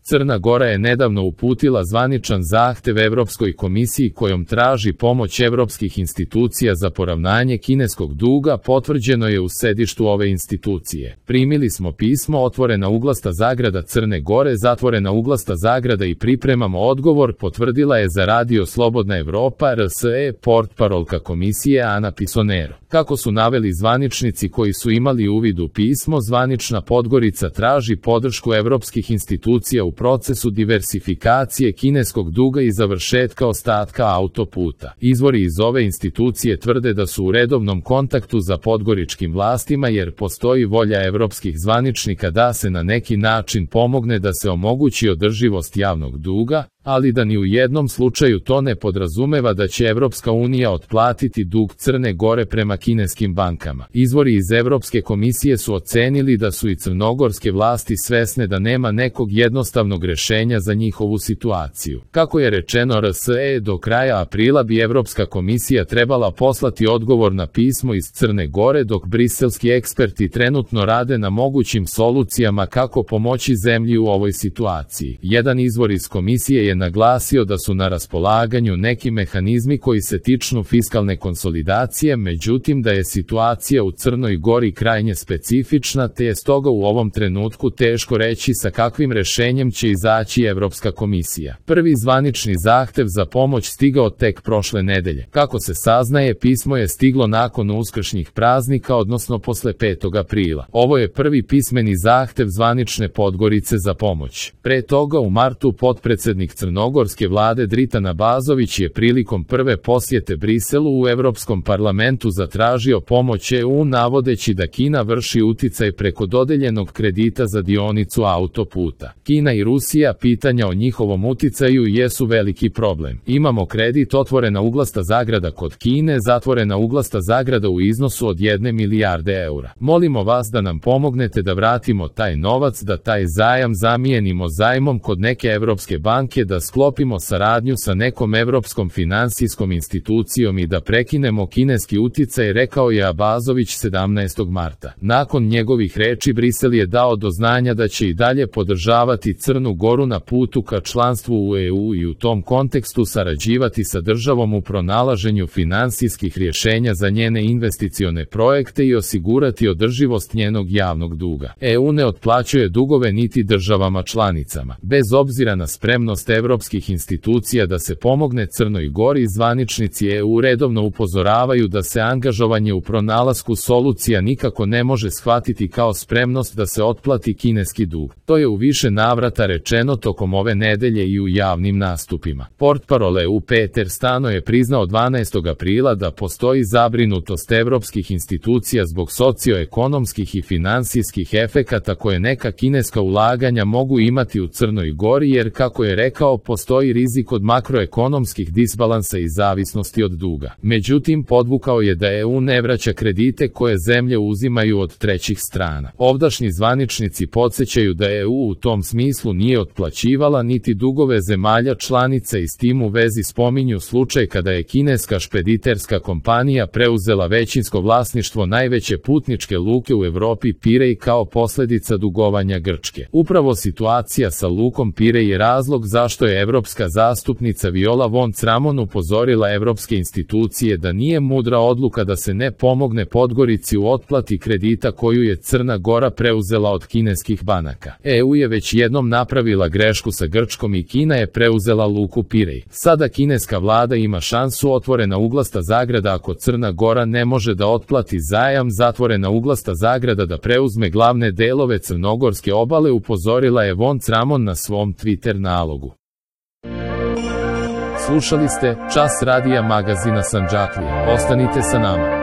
Crna Gora je nedavno uputila zvaničan zahtev Evropskoj komisiji kojom traži pomoć evropskih institucija za poravnanje kineskog duga, potvrđeno je u sedištu ove institucije. Primili smo pismo, otvorena uglasta zagrada Crne Gore, zatvorena uglasta zagrada i pripremamo odgovor, potvrdila je za Radio Slobodna Evropa RSE portparolka komisije Ana Pisonero. Kako su naveli zvaničnici koji su imali uvid u pismo, zvanična Podgorica traži podršku evropskih institucija u procesu diversifikacije kineskog duga i završetka ostatka autoputa. Izvori iz ove institucije tvrde da su u redovnom kontaktu za podgoričkim vlastima jer postoji volja evropskih zvaničnika da se na neki način pomogne da se omogući održivost javnog duga, ali da ni u jednom slučaju to ne podrazumeva da će Evropska unija otplatiti dug Crne Gore prema kineskim bankama. Izvori iz Evropske komisije su ocenili da su i crnogorske vlasti svesne da nema nekog jednostavnog rešenja za njihovu situaciju. Kako je rečeno RSE, do kraja aprila bi Evropska komisija trebala poslati odgovor na pismo iz Crne Gore, dok briselski eksperti trenutno rade na mogućim solucijama kako pomoći zemlji u ovoj situaciji. Jedan izvor iz komisije je naglasio da su na raspolaganju neki mehanizmi koji se tiču fiskalne konsolidacije, međutim da je situacija u Crnoj Gori krajnje specifična, te je stoga u ovom trenutku teško reći sa kakvim rešenjem će izaći Evropska komisija. Prvi zvanični zahtev za pomoć stigao tek prošle nedelje. Kako se saznaje, pismo je stiglo nakon uskršnjih praznika, odnosno posle 5. aprila. Ovo je prvi pismeni zahtev zvanične Podgorice za pomoć. Pre toga u martu potpredsednik crnogorske vlade Dritan Abazović je prilikom prve posjete Briselu u Evropskom parlamentu zatražio pomoć EU, navodeći da Kina vrši uticaj preko dodeljenog kredita za dionicu autoputa. Kina i Rusija, pitanja o njihovom uticaju jesu veliki problem. Imamo kredit, otvorena uglasta zagrada kod Kine, zatvorena uglasta zagrada u iznosu od 1 milijarde eura. Molimo vas da nam pomognete da vratimo taj novac, da taj zajam zamijenimo zajmom kod neke evropske banke, da sklopimo saradnju sa nekom evropskom finansijskom institucijom i da prekinemo kineski uticaj, rekao je Abazović 17. marta. Nakon njegovih reči Brisel je dao do znanja da će i dalje podržavati Crnu Goru na putu ka članstvu u EU i u tom kontekstu sarađivati sa državom u pronalaženju finansijskih rješenja za njene investicione projekte i osigurati održivost njenog javnog duga. EU ne otplaćuje dugove niti državama članicama. Bez obzira na spremnost evropskih institucija da se pomogne Crnoj Gori, zvaničnici EU redovno upozoravaju da se angažovanje u pronalasku solucija nikako ne može shvatiti kao spremnost da se otplati kineski dug. To je u više navrata rečeno tokom ove nedelje i u javnim nastupima. Portparol EU Peter Stano je priznao 12. aprila da postoji zabrinutost evropskih institucija zbog socioekonomskih i finansijskih efekata koje neka kineska ulaganja mogu imati u Crnoj Gori, jer kako je rekao, postoji rizik od makroekonomskih disbalansa i zavisnosti od duga. Međutim, podvukao je da EU ne vraća kredite koje zemlje uzimaju od trećih strana. Ovdašnji zvaničnici podsjećaju da EU u tom smislu nije otplaćivala niti dugove zemalja članica i s tim u vezi spominju slučaj kada je kineska špediterska kompanija preuzela većinsko vlasništvo najveće putničke luke u Evropi Pirej kao posljedica dugovanja Grčke. Upravo situacija sa lukom Pirej je razlog zašto je evropska zastupnica Viola von Kramon upozorila evropske institucije da nije mudra odluka da se ne pomogne Podgorici u otplati kredita koju je Crna Gora preuzela od kineskih banaka. EU je već jednom napravila grešku sa Grčkom i Kina je preuzela luku Pirej. Sada kineska vlada ima šansu, otvorena uglasta zagrada ako Crna Gora ne može da otplati zajam, zatvorena uglasta zagrada da preuzme glavne delove crnogorske obale, upozorila je von Kramon na svom Twitter nalogu. Slušali ste Čas radija magazina Sandžaklija. Ostanite sa nama.